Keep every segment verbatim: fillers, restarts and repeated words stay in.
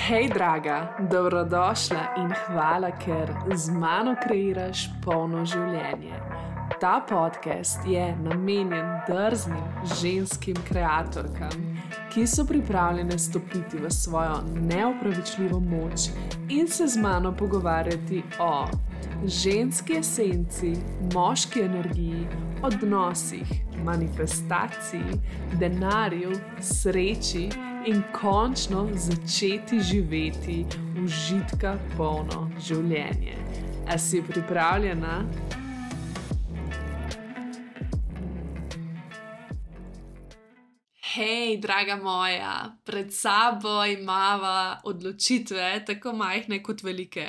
Hej, draga, dobrodošla in hvala, ker z mano kreiraš polno življenje. Ta podcast je namenjen drznim ženskim kreatorkam, ki so pripravljene stopiti v svojo neopravičljivo moč in se z mano pogovarjati o ženski esenci, moški energiji, odnosih, manifestaciji, denarju, sreči in končno začeti živeti užitka polno življenje. A si pripravljena? Hej, draga moja, pred sabo imava odločitve, tako majhne kot velike.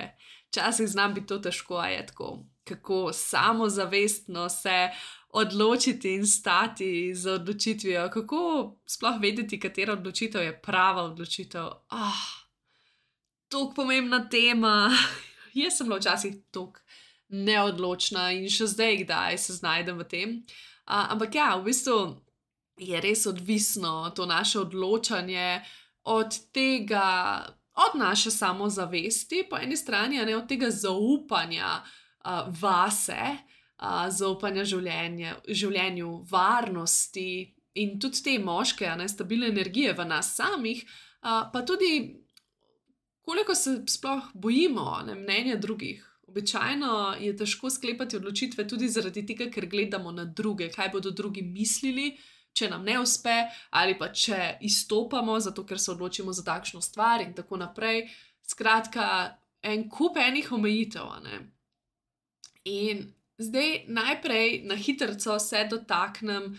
Včasih znam biti to težko, a je tako, kako samozavestno se odločiti in stati za odločitvijo, kako sploh vedeti, katera odločitev je prava odločitev. Ah, toliko pomembna tema. Jaz sem bila včasih toliko neodločna in še zdaj kdaj se znajdem v tem. Uh, ampak ja, v bistvu je res odvisno to naše odločanje od tega, od naše samozavesti, po eni strani, a ne od tega zaupanja uh, vase, uh, zaupanja življenje, življenju, varnosti in tudi te moške, a ne, stabilne energije v nas samih, uh, pa tudi koliko se sploh bojimo, ne, mnenja drugih. Običajno je težko sklepati odločitve tudi zaradi tega, ker gledamo na druge, kaj bodo drugi mislili, če nam ne uspe, ali pa če izstopamo, zato ker se odločimo za takšno stvar in tako naprej. Skratka, en kup enih omejitev, a ne. In zdaj najprej na hitrco se dotaknem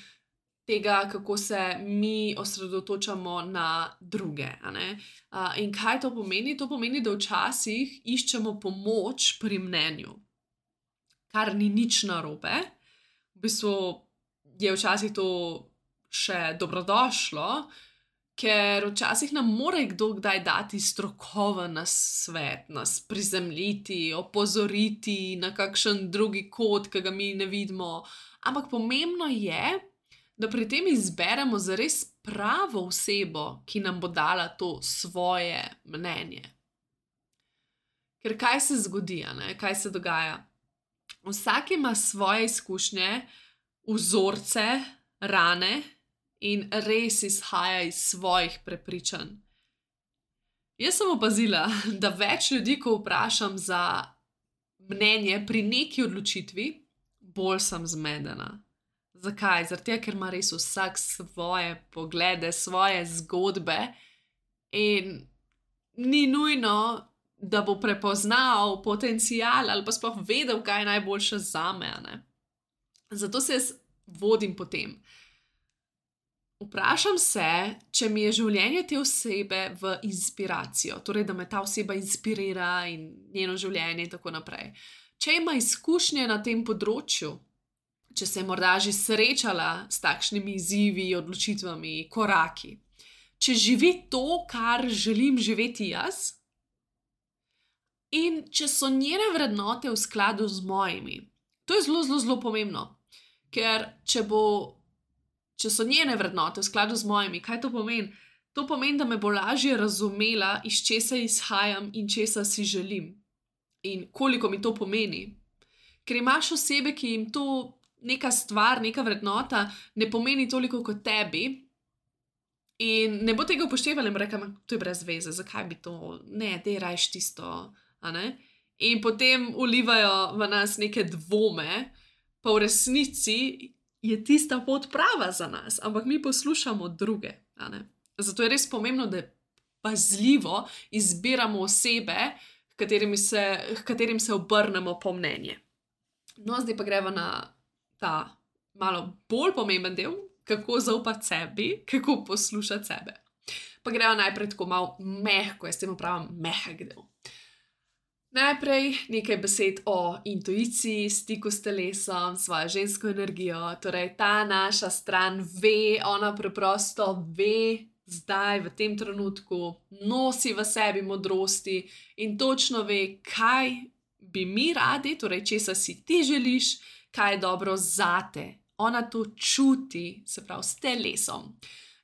tega, kako se mi osredotočamo na druge, a ne. Uh, in kaj to pomeni? To pomeni, da včasih iščemo pomoč pri mnenju, kar ni nič narobe. V bistvu je včasih to še dobrodošlo, ker včasih nam mora kdo kdaj dati strokoven nasvet, nas prizemljiti, opozoriti na kakšen drugi kot, ki ga mi ne vidimo. Ampak pomembno je, da pri tem izberemo zares pravo osebo, ki nam bo dala to svoje mnenje. Ker kaj se zgodi, a ne? Kaj se dogaja? Vsak ima svoje izkušnje, vzorce, rane in res izhaja iz svojih prepričanj. Jaz sem opazila, da več ljudi, ko vprašam za mnenje pri neki odločitvi, bolj sem zmedena. Zakaj? Zaradi tega, ker ima res vsak svoje poglede, svoje zgodbe in ni nujno, da bo prepoznal potencial ali pa sploh vedel, kaj je najboljše zame, a ne. Zato se jaz vodim po tem. Vprašam se, če mi je življenje te osebe v inspiracijo, torej, da me ta oseba inspirira in njeno življenje in tako naprej. Če ima izkušnje na tem področju, če se je morda že srečala s takšnimi izzivi, odločitvami, koraki, če živi to, kar želim živeti jaz, in če so njene vrednote v skladu z mojimi. To je zelo, zelo, zelo pomembno, ker če bo Če so njene vrednote v skladu z mojimi, kaj to pomeni? To pomeni, da me bo lažje razumela, iz česa izhajam in česa si želim. In koliko mi to pomeni. Ker imaš osebe, ki jim to neka stvar, neka vrednota ne pomeni toliko kot tebi in ne bo tega upoštevala in rekla, to je brez veze, zakaj bi to, ne, dej rajš tisto, a ne? In potem ulivajo v nas neke dvome, pa v resnici je tista pot prava za nas, ampak mi poslušamo druge, a ne. Zato je res pomembno, da pazljivo izbiramo osebe, katerimi se, katerim se obrnemo po mnenje. No, zdaj pa greva na ta malo bolj pomemben del, kako zaupati sebi, kako poslušati sebe. Pa greva najprej tako malo mehko, jaz temu pravim mehek del. Najprej nekaj besed o intuiciji, stiku s telesom, svojo žensko energijo, torej ta naša stran ve, ona preprosto ve, zdaj v tem trenutku, nosi v sebi modrosti in točno ve, kaj bi mi radi, torej česa si ti želiš, kaj je dobro zate. Ona to čuti, se pravi s telesom.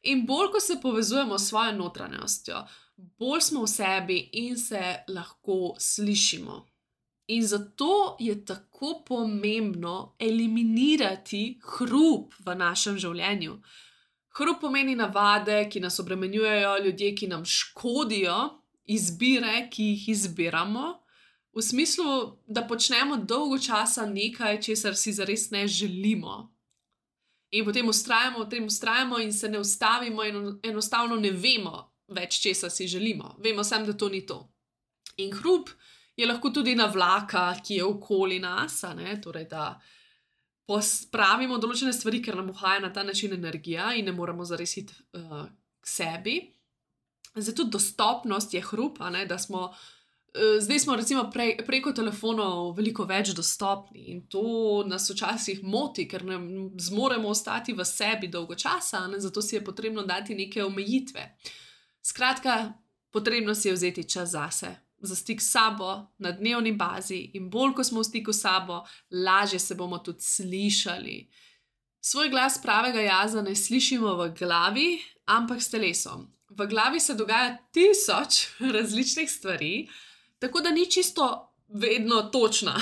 In bolj, ko se povezujemo s svojo notranjostjo, bolj smo v sebi in se lahko slišimo. In zato je tako pomembno eliminirati hrup v našem življenju. Hrup pomeni navade, ki nas obremenjujejo, ljudje, ki nam škodijo, izbire, ki jih izbiramo, v smislu, da počnemo dolgo časa nekaj, česar si zares ne želimo. In potem vztrajamo, v tem vztrajamo in se ne ustavimo in enostavno ne vemo več, česa si želimo. Vemo samo, da to ni to. In hrup je lahko tudi navlaka, ki je okoli nas, a ne, torej da pospravimo določene stvari, ker nam uhaja na ta način energija in ne moremo zares iti uh, k sebi. Zdaj tudi dostopnost je hrup, a ne, da smo Zdaj smo recimo pre, preko telefonov veliko več dostopni in to nas včasih moti, ker ne zmoremo ostati v sebi dolgo časa, ne? Zato si je potrebno dati neke omejitve. Skratka, potrebno si je vzeti čas zase, za stik s sabo na dnevni bazi in bolj, ko smo v stiku s sabo, lažje se bomo tudi slišali. Svoj glas pravega jaza ne slišimo v glavi, ampak s telesom. V glavi se dogaja tisoč različnih stvari, tako da ni čisto vedno točna.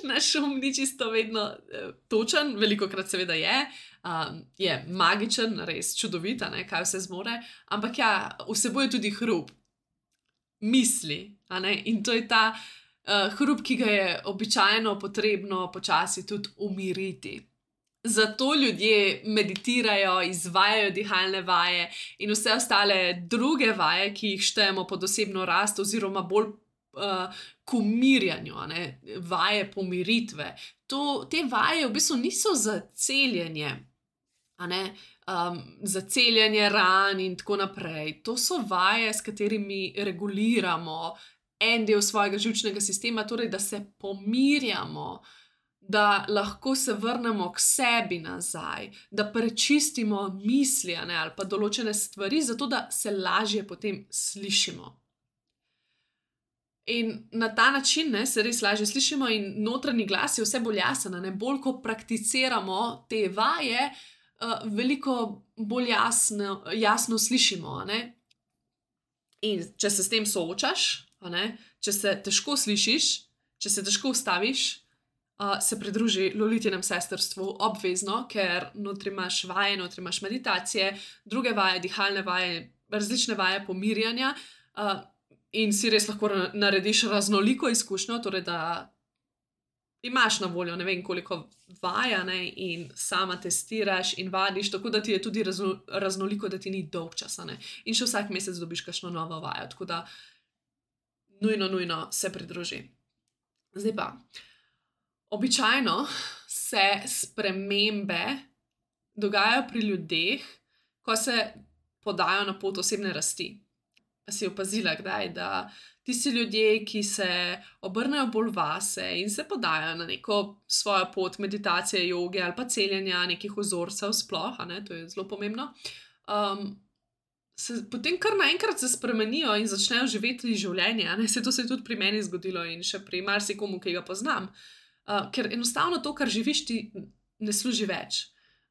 Naš um ni čisto vedno eh, točen, velikokrat seveda je, um, je magičen, res čudovit, ne, kaj vse zmore, ampak ja, vsebuje tudi hrup, misli, a ne, in to je ta uh, hrup, ki ga je običajno potrebno počasi tudi umiriti. Zato ljudje meditirajo, izvajajo dihalne vaje in vse ostale druge vaje, ki jih štejemo pod osebno rast oziroma bolj uh, k umirjanju, a ne, vaje pomiritve. To, te vaje v bistvu niso za celjenje, a ne, um, za celjenje ran in tako naprej. To so vaje, s katerimi reguliramo en del svojega živčnega sistema, torej da se pomirjamo, da lahko se vrnemo k sebi nazaj, da prečistimo misli, ne, ali pa določene stvari, zato da se lažje potem slišimo. In na ta način, ne, se res lažje slišimo in notranji glas je vse bolj jasen, ne, bolj ko prakticiramo te vaje, uh, veliko bolj jasno, jasno slišimo, a ne. In če se s tem soočaš, a ne, če se težko slišiš, če se težko ustaviš, Uh, se pridruži Lolitinem sestrstvu obvezno, ker notri imaš vaje, notri imaš meditacije, druge vaje, dihalne vaje, različne vaje pomirjanja uh, in si res lahko narediš raznoliko izkušnjo, torej da imaš na voljo ne vem koliko vaja, ne, in sama testiraš in vadiš, tako da ti je tudi razno, raznoliko, da ti ni dolg časa, ne, in še vsak mesec dobiš kakšno novo vajo, tako da nujno, nujno se pridruži. Zdaj pa, običajno se spremembe dogajajo pri ljudeh, ko se podajo na pot osebne rasti. Si opazila kdaj, da tisti ljudje, ki se obrnejo bolj vase in se podajo na neko svojo pot meditacije, joge ali pa celjenja nekih vzorcev sploh, a ne, to je zelo pomembno, um, se potem kar naenkrat se spremenijo in začnejo živeti življenje, a ne, se to se je tudi pri meni zgodilo in še pri marsikomu, ki ga poznam. Uh, ker enostavno to, kar živiš, ti ne služi več,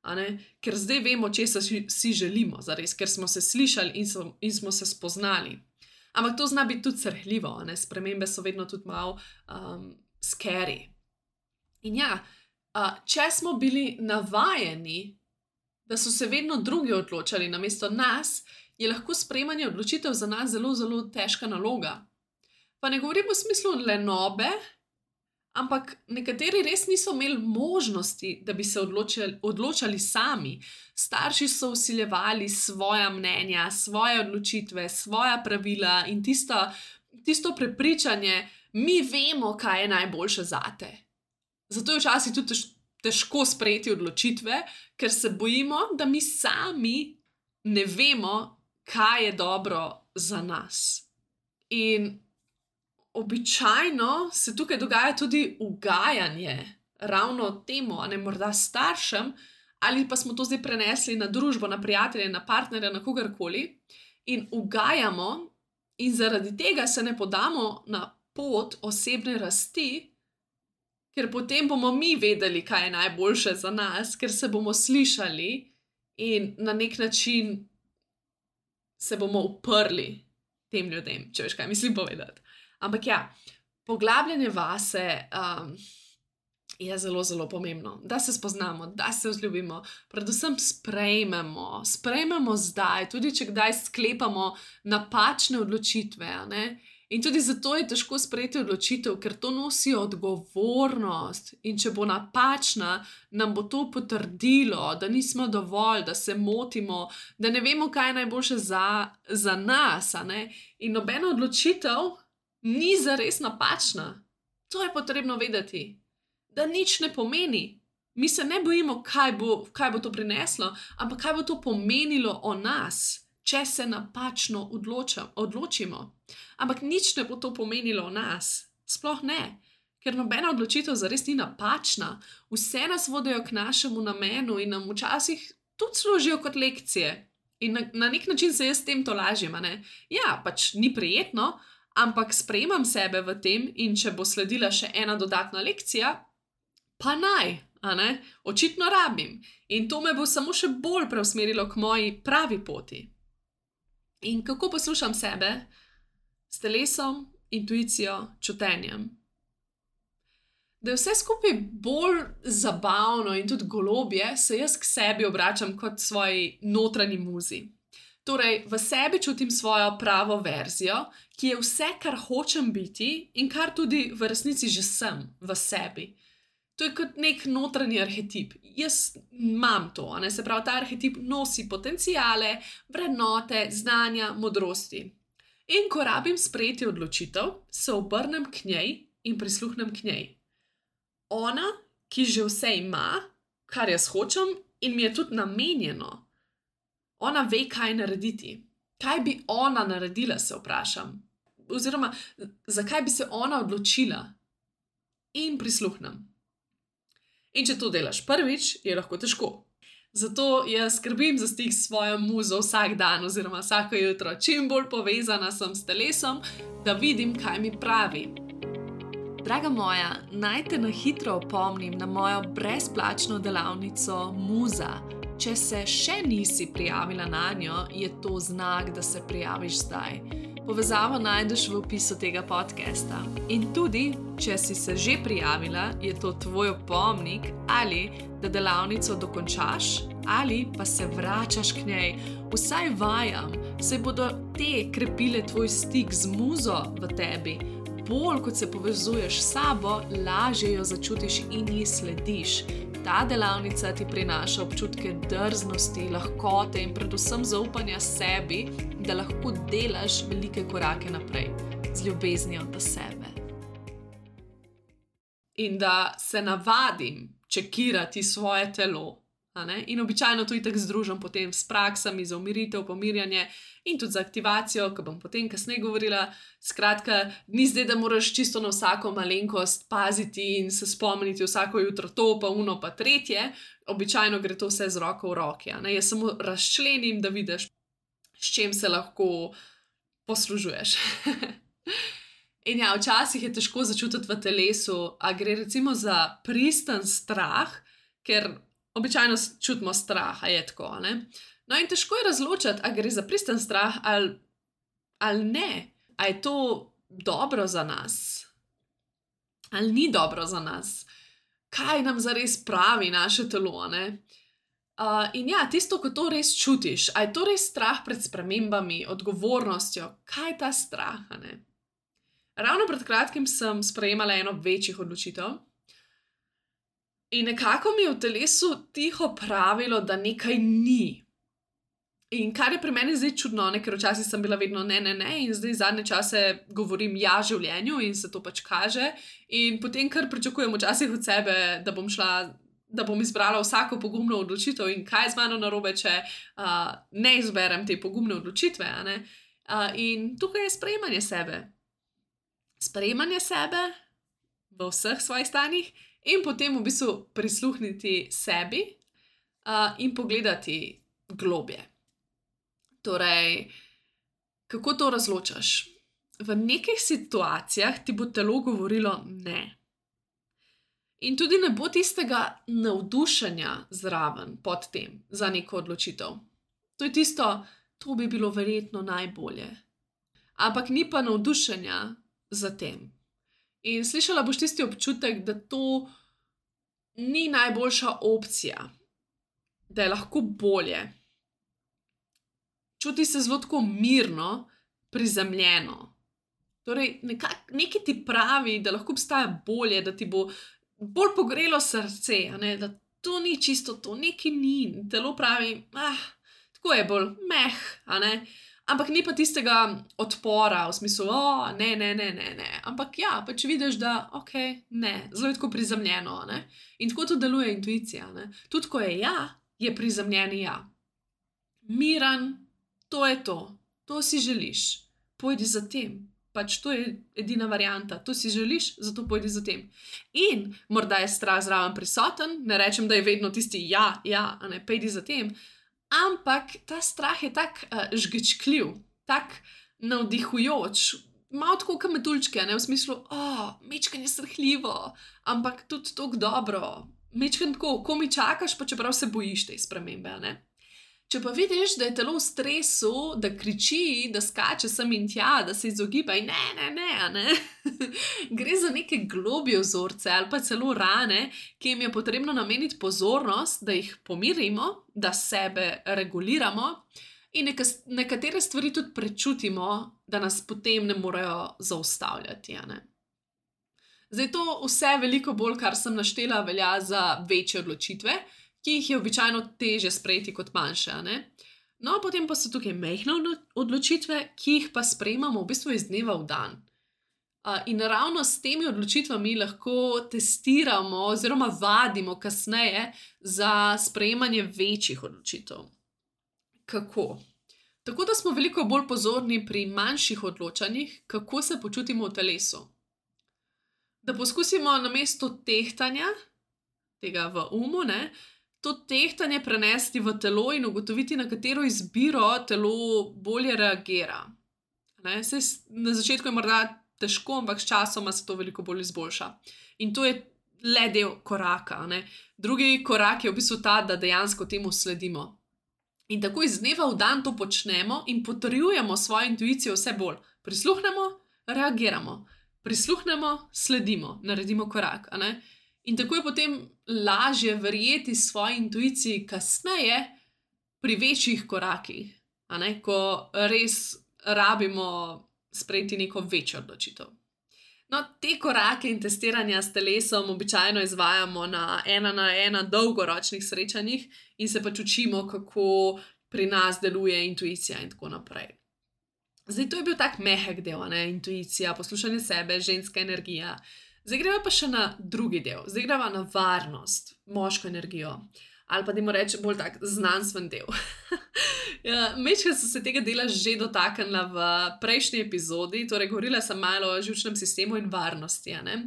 a ne? Ker zdaj vemo, česa si, si želimo, zares, ker smo se slišali in, so, in smo se spoznali. Ampak to zna biti tudi srhljivo, a ne? Spremembe so vedno tudi malo um, scary. In ja, uh, če smo bili navajeni, da so se vedno drugi odločali namesto nas, je lahko sprejemanje odločitev za nas zelo, zelo težka naloga. Pa ne govorim v smislu lenobe, ampak nekateri res niso imeli možnosti, da bi se odločali, odločali sami. Starši so vsiljevali svoja mnenja, svoje odločitve, svoja pravila in tisto, tisto prepričanje, mi vemo, kaj je najboljše zate. Zato je včasih tudi težko sprejeti odločitve, ker se bojimo, da mi sami ne vemo, kaj je dobro za nas. In običajno se tukaj dogaja tudi ugajanje ravno temu, a ne morda staršem, ali pa smo to zdaj prenesli na družbo, na prijatelje, na partnerja, na kogarkoli in ugajamo in zaradi tega se ne podamo na pot osebne rasti, ker potem bomo mi vedeli, kaj je najboljše za nas, ker se bomo slišali in na nek način se bomo uprli tem ljudem, če veš, kaj mislim povedati. Ampak ja, poglabljanje vase um, je zelo, zelo pomembno, da se spoznamo, da se vzljubimo, predvsem sprejmemo, sprejmemo zdaj, tudi če kdaj sklepamo napačne odločitve, a ne? In tudi zato je težko sprejeti odločitev, ker to nosi odgovornost in če bo napačna, nam bo to potrdilo, da nismo dovolj, da se motimo, da ne vemo, kaj je najboljše za, za nas, a ne? In nobena odločitev ni zares napačna. To je potrebno vedeti, da nič ne pomeni. Mi se ne bojimo, kaj bo, kaj bo to prineslo, ampak kaj bo to pomenilo o nas, če se napačno odločam, odločimo. Ampak nič ne bo to pomenilo o nas. Sploh ne, ker nobena odločitev zares ni napačna. Vse nas vodijo k našemu namenu in nam včasih tudi služijo kot lekcije. In na, na nek način se jaz s tem to lažim, a ne? Ja, pač ni prijetno, ampak sprejemam sebe v tem in če bo sledila še ena dodatna lekcija, pa naj, a ne? Očitno rabim. In to me bo samo še bolj preusmerilo k moji pravi poti. In kako poslušam sebe? S telesom, intuicijo, čutenjem. Da je vse skupaj bolj zabavno in tudi golobje, se jaz k sebi obračam kot svoji notranji muzi. Torej, v sebi čutim svojo pravo verzijo, ki je vse, kar hočem biti in kar tudi v resnici že sem v sebi. To je kot nek notranji arhetip. Jaz imam to, a ne? Se pravi, ta arhetip nosi potenciale, vrednote, znanja, modrosti. In ko rabim sprejeti odločitev, se obrnem k njej in prisluhnem k njej. Ona, ki že vse ima, kar jaz hočem in mi je tudi namenjeno. Ona ve, kaj narediti. Kaj bi ona naredila, se vprašam. Oziroma, zakaj bi se ona odločila? In prisluhnem. In če to delaš prvič, je lahko težko. Zato jaz skrbim za stik s svojo muzo vsak dan oziroma vsako jutro. Čim bolj povezana sem s telesom, da vidim, kaj mi pravi. Draga moja, naj te na hitro opomnim na mojo brezplačno delavnico Muza. Če se še nisi prijavila nanjo, je to znak, da se prijaviš zdaj. Povezavo najdeš v opisu tega podcasta. In tudi, če si se že prijavila, je to tvoj opomnik, ali da delavnico dokončaš, ali pa se vračaš k njej. Vsaj vajam, saj bodo te krepile tvoj stik z muzo v tebi. Bolj kot se povezuješ s sabo, lažje jo začutiš in ji slediš. Ta delavnica ti prinaša občutke drznosti, lahkote in predvsem zaupanja sebi, da lahko delaš velike korake naprej z ljubeznijo do sebe. In da se navadim čekirati svoje telo. A ne? In običajno to itak združim potem s praksami za umiritev, pomirjanje in tudi za aktivacijo, ko bom potem kasneje govorila. Skratka, ni zdaj, da moraš čisto na vsako malenkost paziti in se spomniti vsako jutro to, pa uno, pa tretje. Običajno gre to vse z roko v roki. A ne? Jaz samo razčlenim, da vidiš, s čim se lahko poslužuješ. In ja, včasih je težko začutiti v telesu, a gre recimo za pristen strah, ker običajno čutimo strah, a je tako, ne? No in težko je razločiti, a gre za pristen strah ali, ali ne. A je to dobro za nas? Ali ni dobro za nas? Kaj nam zares pravi naše telo, ne? Uh, in ja, tisto, ko to res čutiš, a je to res strah pred spremembami, odgovornostjo? Kaj je ta strah, a ne? Ravno pred kratkim sem sprejemala eno večjih odločitev. In nekako mi je v telesu tiho pravilo, da nekaj ni. In kar je pri meni zdaj čudno, ne, ker včasih sem bila vedno ne, ne, ne in zdaj zadnje čase govorim ja življenju in se to pač kaže. In potem kar pričakujem včasih od sebe, da bom šla, da bom izbrala vsako pogumno odločitev in kaj je z mano narobe, če uh, ne izberem te pogumne odločitve. A ne? Uh, in tukaj je sprejemanje sebe. Sprejemanje sebe v vseh svojih stanjih. In potem v bistvu prisluhniti sebi uh, in pogledati globje. Torej, kako to razločaš? V nekih situacijah ti bo telo govorilo ne. In tudi ne bo tistega navdušenja zraven pod tem za neko odločitev. To je tisto, to bi bilo verjetno najbolje. Ampak ni pa navdušenja za tem. In slišala boš tisti občutek, da to ni najboljša opcija, da je lahko bolje. Čuti se zelo tako mirno, prizemljeno. Torej, nekaj ti pravi, da lahko obstaja bolje, da ti bo bolj pogrelo srce, a ne? Da to ni čisto to, nekaj ni. Telo pravi, ah, tako je bolj meh, a ne? Ampak ni pa tistega odpora v smislu, o, ne, ne, ne, ne, ne. Ampak ja, pač vidiš, da ok, ne, zelo je tako prizemljeno, a ne? In tako to deluje intuicija, ne? Tudi ko je ja, je prizemljeni ja. Miren, to je to, to si želiš, pojdi za tem. Pač to je edina varianta, to si želiš, zato pojdi za tem. In morda je strah zraven prisoten, ne rečem, da je vedno tisti ja, ja, a ne, pojdi za tem, ampak ta strah je tak uh, žgečkljiv, tak navdihujoč, malo tako kot metuljčke, ne, v smislu, o, mečkanje srhljivo, ampak tudi tako dobro, mečkanje tako, ko mi čakaš, pa čeprav se bojiš te spremembe, ne. Če pa vidiš, da je telo v stresu, da kriči, da skače sem in tja, da se izogiba in ne, ne, ne, ne. Gre za neke globje vzorce ali pa celo rane, ki jim je potrebno nameniti pozornost, da jih pomirimo, da sebe reguliramo in neka, nekatere stvari tudi prečutimo, da nas potem ne morejo zaustavljati, a ne. Zdaj to vse veliko bolj, kar sem naštela, velja za večje odločitve, ki jih je običajno težje sprejeti kot manjše, ne? No, potem pa so tukaj majhne odločitve, ki jih pa sprejemamo v bistvu iz dneva v dan. In ravno s temi odločitvami lahko testiramo oziroma vadimo kasneje za sprejemanje večjih odločitev. Kako? Tako da smo veliko bolj pozorni pri manjših odločanjih, kako se počutimo v telesu. Da poskusimo namesto tehtanja, tega v umu, ne, to tehtanje prenesti v telo in ugotoviti, na katero izbiro telo bolje reagira. Ne? Saj na začetku je morda težko, ampak s časoma se to veliko bolj izboljša. In to je le del koraka. Ne? Drugi korak je v bistvu ta, da dejansko temu sledimo. In tako iz dneva v dan to počnemo in potrjujemo svojo intuicijo vse bolj. Prisluhnemo, reagiramo. Prisluhnemo, sledimo, naredimo korak, a ne? In tako je potem lažje verjeti svoji intuiciji kasneje pri večjih korakih, a ne? Ko res rabimo sprejeti neko večjo odločitev. No, te korake in testiranja s telesom običajno izvajamo na ena na ena dolgoročnih srečanjih in se pač učimo, kako pri nas deluje intuicija in tako naprej. Zdaj, to je bil tak mehek del, ne? Intuicija, poslušanje sebe, ženska energija. Zdaj greva pa še na drugi del, zdaj greva na varnost, moško energijo, ali pa dajmo reči bolj tak znanstven del. Mečka so se tega dela že dotaknila v prejšnji epizodi, torej govorila sem malo o živčnem sistemu in varnosti, a ne,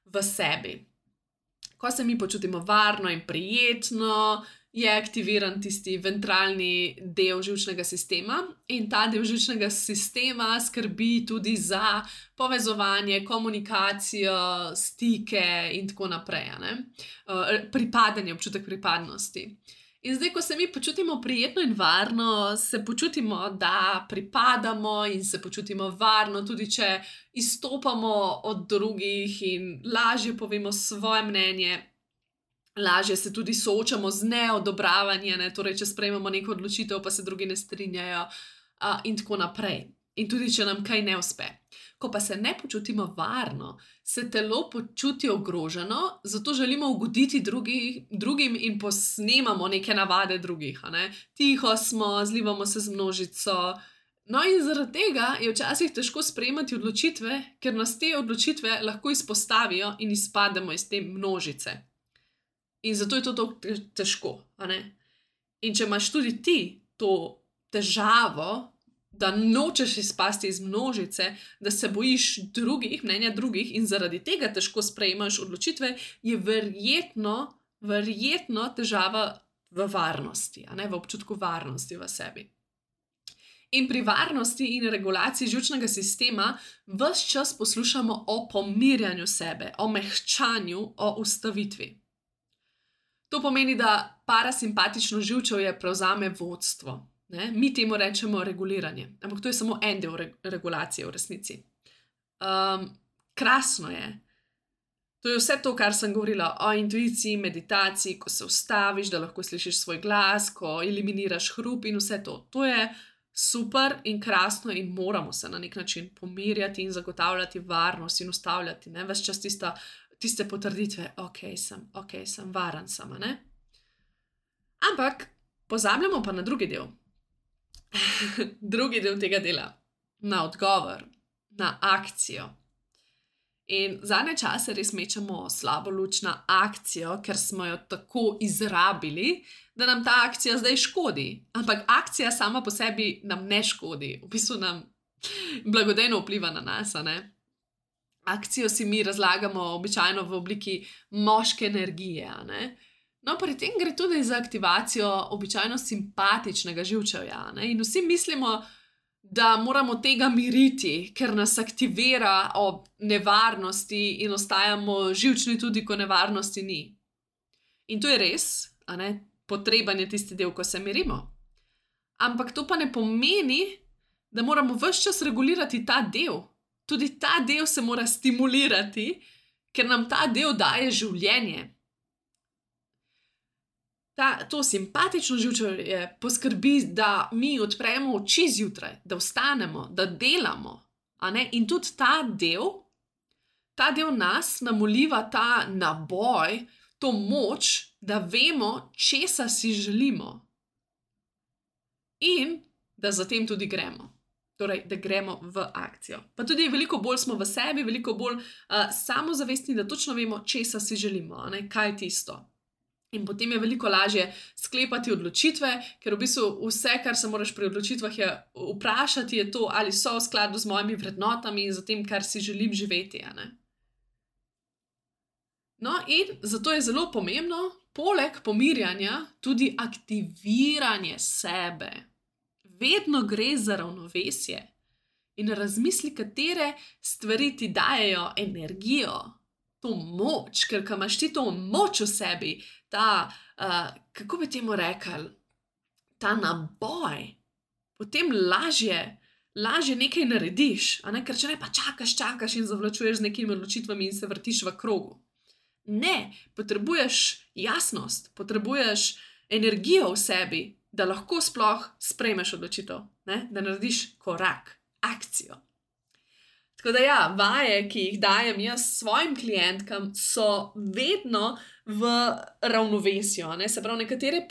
v sebi. Ko se mi počutimo varno in prijetno, je aktiviran tisti ventralni del živčnega sistema in ta del živčnega sistema skrbi tudi za povezovanje, komunikacijo, stike in tako naprej, a ne? Pripadanje, občutek pripadnosti. In zdaj, ko se mi počutimo prijetno in varno, se počutimo, da pripadamo in se počutimo varno, tudi če izstopamo od drugih in lažje povemo svoje mnenje, lažje se tudi soočamo z neodobravanjem, ne? Torej, če sprejmemo neko odločitev, pa se drugi ne strinjajo uh, in tako naprej. In tudi, če nam kaj ne uspe. Ko pa se ne počutimo varno, se telo počuti ogroženo, zato želimo ugoditi drugi, drugim in posnemamo neke navade drugih, a ne? Tiho smo, zlivamo se z množico. No in zaradi tega je včasih težko sprejemati odločitve, ker nas te odločitve lahko izpostavijo in izpademo iz te množice. In zato je to tako težko, a ne? In če imaš tudi ti to težavo, da nočeš izpasti iz množice, da se bojiš drugih, mnenja drugih in zaradi tega težko sprejemaš odločitve, je verjetno, verjetno težava v varnosti, a ne, v občutku varnosti v sebi. In pri varnosti in regulaciji živčnega sistema ves čas poslušamo o pomirjanju sebe, o mehčanju, o ustavitvi. To pomeni, da parasimpatično živčevje prevzame vodstvo. Ne? Mi temu rečemo reguliranje, ampak to je samo en del re- regulacije v resnici. Um, krasno je. To je vse to, kar sem govorila o intuiciji, meditaciji, ko se ustaviš, da lahko slišiš svoj glas, ko eliminiraš hrup in vse to. To je super in krasno in moramo se na nek način pomirjati in zagotavljati varnost in ustavljati, ne, ves čas tista, tiste potrditve, ok, sem, ok, sem, varen sem, ne. Ampak pozabljamo pa na drugi del. drugi del tega dela, na odgovor, na akcijo. In zadnje čase res mečemo slabo luč na akcijo, ker smo jo tako izrabili, da nam ta akcija zdaj škodi. Ampak akcija sama po sebi nam ne škodi, v bistvu nam blagodejno vpliva na nas, a ne? Akcijo si mi razlagamo običajno v obliki moške energije, a ne? No, pri tem gre tudi za aktivacijo običajno simpatičnega živčevja, a ne? In vsi mislimo, da moramo tega miriti, ker nas aktivira ob nevarnosti in ostajamo živčni tudi, ko nevarnosti ni. In to je res, a ne, potreben je tisti del, ko se mirimo. Ampak to pa ne pomeni, da moramo ves čas regulirati ta del. Tudi ta del se mora stimulirati, ker nam ta del daje življenje. Ta, to simpatično živčevje poskrbi, da mi odpremo oči zjutraj, da vstanemo, da delamo. A ne? In tudi ta del, ta del nas nam vliva ta naboj, to moč, da vemo, česa si želimo. In da zatem tudi gremo. Torej, da gremo v akcijo. Pa tudi veliko bolj smo v sebi, veliko bolj uh, samozavestni, da točno vemo, česa si želimo, a ne? Kaj je tisto. In potem je veliko lažje sklepati odločitve, ker v bistvu vse, kar se moraš pri odločitvah je vprašati, je to, ali so v skladu z mojimi vrednotami in z tem, kar si želim živeti. A ne? No, in zato je zelo pomembno, poleg pomirjanja, tudi aktiviranje sebe. Vedno gre za ravnovesje in razmisli, katere stvari ti dajejo energijo, to moč, ker ko imaš ti to moč v sebi, ta, uh, kako bi temu rekli, ta naboj, potem lažje, lažje nekaj narediš, a ne, ker če ne pa čakaš, čakaš in zavlačuješ z nekimi odločitvami in se vrtiš v krogu. Ne, potrebuješ jasnost, potrebuješ energijo v sebi, da lahko sploh sprejmeš odločitev, ne, da narediš korak, akcijo. Tako da ja, vaje, ki jih dajem jaz svojim klientkam, so vedno v ravnovesju. Ne? Se pravi, nekatere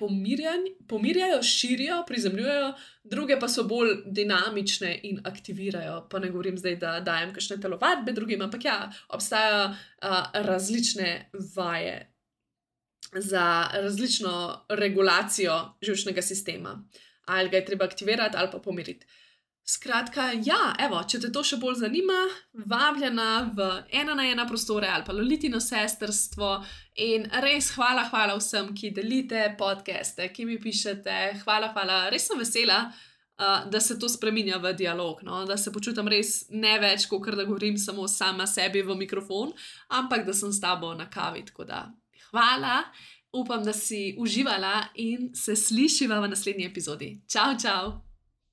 pomirjajo, širijo, prizemljujejo, druge pa so bolj dinamične in aktivirajo. Pa ne govorim zdaj, da dajem kakšne telovadbe drugim, ampak ja, obstajajo uh, različne vaje za različno regulacijo živčnega sistema. Ali ga je treba aktivirati ali pa pomiriti. Skratka, ja, evo, če te to še bolj zanima, vabljena v ena na ena prostore ali pa Lolitino sestrstvo in res hvala, hvala vsem, ki delite podcaste, ki mi pišete, hvala, hvala, res sem vesela, uh, da se to spreminja v dialog, no? Da se počutim res ne več, kot da govorim samo sama sebi v mikrofon, ampak da sem s tabo na kavi, tako da hvala, upam, da si uživala in se slišiva v naslednji epizodi. Čau, čau!